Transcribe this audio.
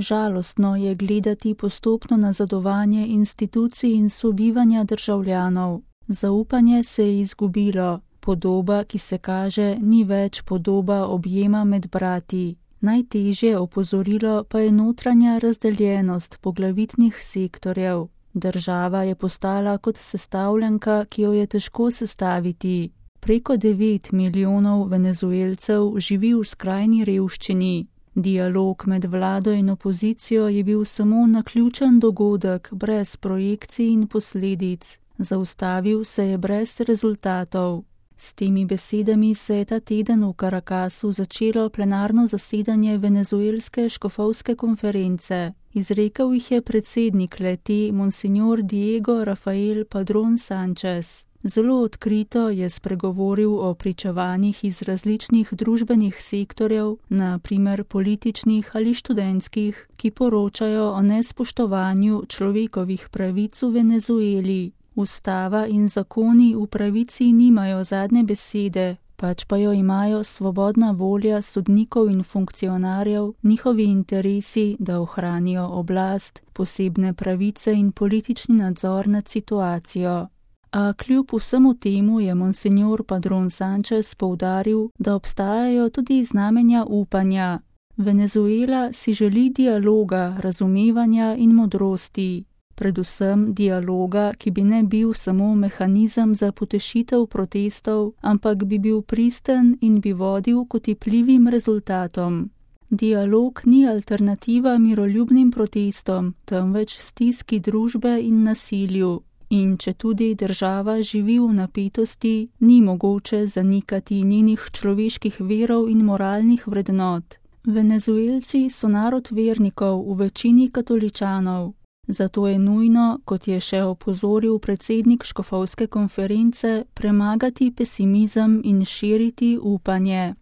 Žalostno je gledati postopno nazadovanje institucij in sobivanja državljanov. Zaupanje se je izgubilo. Podoba, ki se kaže, ni več podoba objema med brati. Najtežje opozorilo pa je notranja razdeljenost poglavitnih sektorjev. Država je postala kot sestavljanka, ki jo je težko sestaviti. Preko 9 milijonov Venezuelcev živi v skrajni revščini. Dialog med vlado in opozicijo je bil samo naključen dogodek, brez projekcij in posledic. Zaustavil se je brez rezultatov. S temi besedami se je ta teden v Caracasu začelo plenarno zasedanje venezuelske škofovske konference. Izrekel jih je predsednik le-te, monsignor Diego Rafael Padrón Sánchez. Zelo odkrito je spregovoril o pričevanjih iz različnih družbenih sektorjev, na primer političnih ali študentskih, ki poročajo o nespoštovanju človekovih pravic v Venezueli. Ustava in zakoni v pravici nimajo zadnje besede, pač pa jo imajo svobodna volja sodnikov in funkcionarjev, njihovi interesi, da ohranijo oblast, posebne pravice in politični nadzor nad situacijo. A kljub vsemu temu je monsignor Padrón Sánchez poudaril, da obstajajo tudi znamenja upanja. Venezuela si želi dialoga, razumevanja in modrosti. Predvsem dialoga, ki bi ne bil samo mehanizem za potešitev protestov, ampak bi bil pristen in bi vodil k otipljivim rezultatom. Dialog ni alternativa miroljubnim protestom, temveč stiski družbe in nasilju. In če tudi država živi v napetosti, ni mogoče zanikati njenih človeških verov in moralnih vrednot. Venezuelci so narod vernikov, v večini katoličanov. Zato je nujno, kot je še opozoril predsednik škofovske konference, premagati pesimizem in širiti upanje.